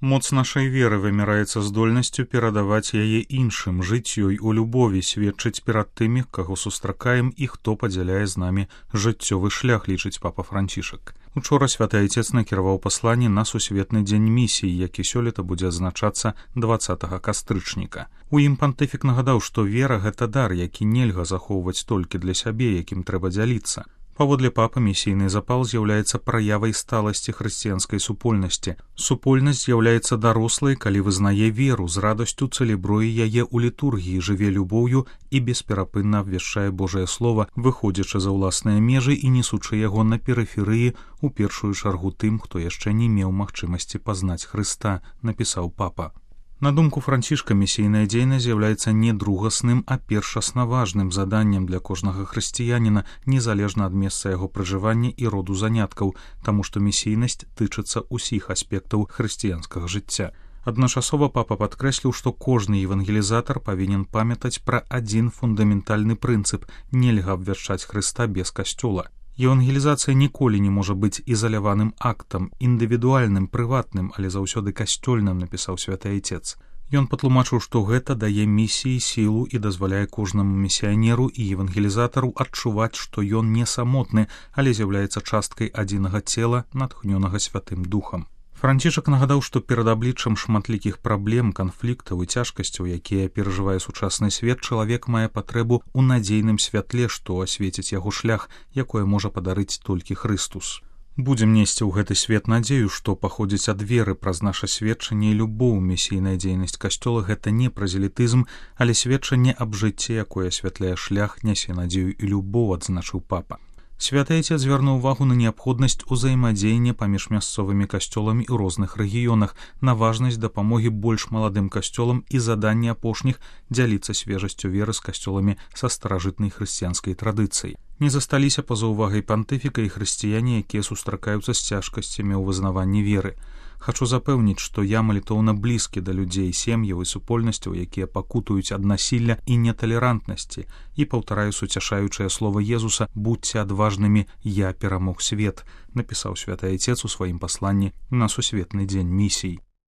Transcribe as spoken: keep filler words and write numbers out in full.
Моц нашай веры вымяраецца здольнасцю перадаваць яе іншым, жыць ёй у любові, сведчыць перад тымі, каго сустракаем і хто падзяляе з намі жыццёвы шлях, лічыць папа Францішак. Учора святы айцец накіраваў пасланне на сусветны дзень місіі, які сёлета будзе адзначацца дваццатага кастрычніка. У ім пантыфік нагадаў, што вера — гэта дар, які нельга захоўваць толькі для сябе, якім трэба дзяліцца. Паводле папы, місійны запал з'яўляецца праявай сталасці хрысціянскай супольнасці. Супольнасць з'яўляецца дарослай, калі вызнае веру, з радасцю цэлебруе яе ў літургіі, жыве любоўю і бесперапынна абвяшчае Божае Слова, выходзячы за ўласныя межы і несучы яго на перыферыі, у першую чаргу тым, хто яшчэ не меў магчымасці пазнаць Хрыста, напісаў папа. На думку Францішка, місійная дзейнасць з'яўляецца не другасным, а першасна важным заданнем для кожнага хрысціяніна, незалежна ад месца яго пражывання і роду заняткаў, таму што місійнасць тычыцца ўсіх аспектаў хрысціянскага жыцця. Адначасова папа падкрэсліў, што кожны евангелізатар павінен памятаць пра адзін фундаментальны прынцып — нельга абвяшчаць Хрыста без касцёла. Евангелізацыя ніколі не можа быць ізаляваным актам, індывідуальным, прыватным, але заўсёды касцёльным, напісаў святы айцец. Ён патлумачыў, што гэта дае місіі сілу і дазваляе кожнаму місіянеру і евангелізатару адчуваць, што ён не самотны, але з'яўляецца часткай адзінага цела, натхнёнага Святым Духам. Францішак нагадаў, што перад абліччам шматлікіх праблем, канфліктаў і цяжкасцяў, якія перажывае сучасны свет, чалавек мае патрэбу ў надзейным святле, што асвеціць яго шлях, якое можа падарыць толькі Хрыстус. Будзем несці ў гэты свет надзею, што паходзіць ад веры праз наша сведчанне і любоў. Місійная дзейнасць касцёла — гэта не праз элітызм, але сведчанне аб жыцці, якое асвятляе шлях, нясе надзею і любоў, адзначыў папа. Святы айцец звярнуў увагу на неабходнасць узаемадзеяння паміж мясцовымі касцёламі ў розных рэгіёнах, на важнасць дапамогі больш маладым касцёлам і заданне апошніх дзяліцца свежасцю веры з касцёламі са старажытнай хрысціянскай традыцыяй. Не засталіся па-за ўвагай пантыфіка і хрысціяне, якія сустракаюцца з цяжкасцямі ў вызнаванні веры. Хачу запэўніць, што я малітоўна блізкі да людзей, сем'яў і супольнасцяў, якія пакутуюць ад насілля і неталерантнасці, і паўтараю суцяшаючае слова Езуса: «Будзьце адважнымі, я перамог свет», напісаў святы айцец у сваім пасланні на сусветны дзень місій.